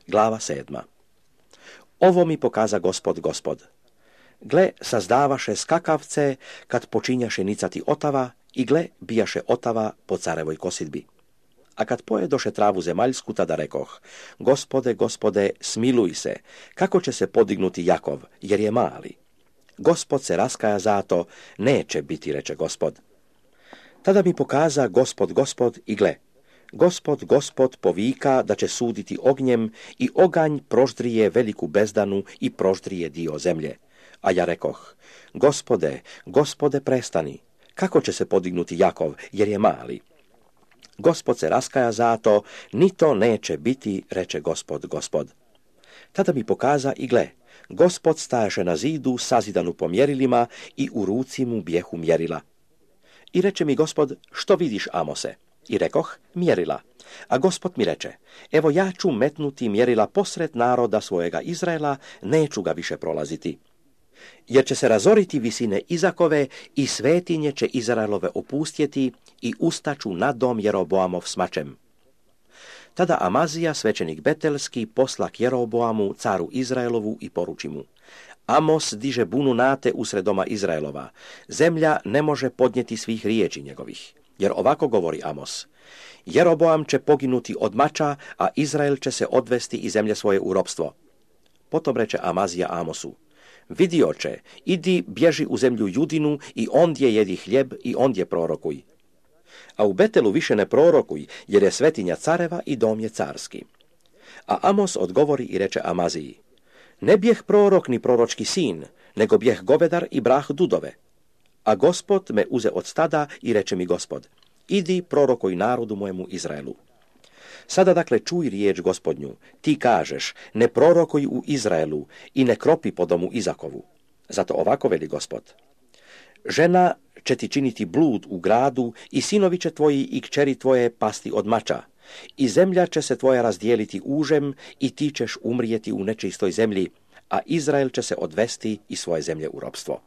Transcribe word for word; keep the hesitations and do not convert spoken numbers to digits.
Glava sedma. Ovo mi pokaza Gospod, Gospod. Gle, sazdavaše skakavce, kad počinjaše nicati otava, i gle, bijaše otava po carevoj kosidbi. A kad pojedoše travu zemaljsku, tada rekoh, Gospode, Gospode, smiluj se, kako će se podignuti Jakov, jer je mali. Gospod se raskaja zato, neće biti, reče Gospod. Tada mi pokaza Gospod, Gospod, i gle, Gospod, Gospod povika da će suditi ognjem i oganj proždrije veliku bezdanu i proždrije dio zemlje. A ja rekoh, Gospode, Gospode, prestani, kako će se podignuti Jakov, jer je mali. Gospod se raskaja zato, ni to neće biti, reče Gospod, Gospod. Tada mi pokaza i gle, Gospod stajaše na zidu sazidanu po mjerilima i u ruci mu bijehu mjerila. I reče mi Gospod, što vidiš, Amose? I rekoh, mjerila. A Gospod mi reče, evo ja ću metnuti mjerila posred naroda svojega Izraela, neću ga više prolaziti. Jer će se razoriti visine Izakove i svetinje će Izraelove opustjeti i ustaću na dom Jeroboamov s mačem. Tada Amazija, svećenik Betelski, posla k Jeroboamu, caru Izraelovu, i poruči mu, Amos diže bunu nate usred doma Izraelova, zemlja ne može podnijeti svih riječi njegovih. Jer ovako govori Amos, Jeroboam će poginuti od mača, a Izrael će se odvesti iz zemlje svoje u ropstvo. Potom reče Amazija Amosu, vidi oče, idi bježi u zemlju Judinu i ondje jedi hljeb i ondje prorokuj. A u Betelu više ne prorokuj, jer je svetinja careva i dom je carski. A Amos odgovori i reče Amaziji, ne bijeh prorok ni proročki sin, nego bijeh govedar i brah dudove. A Gospod me uze od stada i reče mi Gospod, idi prorokuj narodu mojemu Izraelu. Sada dakle čuj riječ Gospodnju, ti kažeš, ne prorokuj u Izraelu i ne kropi po domu Izakovu. Zato ovako veli Gospod, žena će ti činiti blud u gradu i sinovi će tvoji i kćeri tvoje pasti od mača, i zemlja će se tvoja razdijeliti užem i ti ćeš umrijeti u nečistoj zemlji, a Izrael će se odvesti iz svoje zemlje u ropstvo.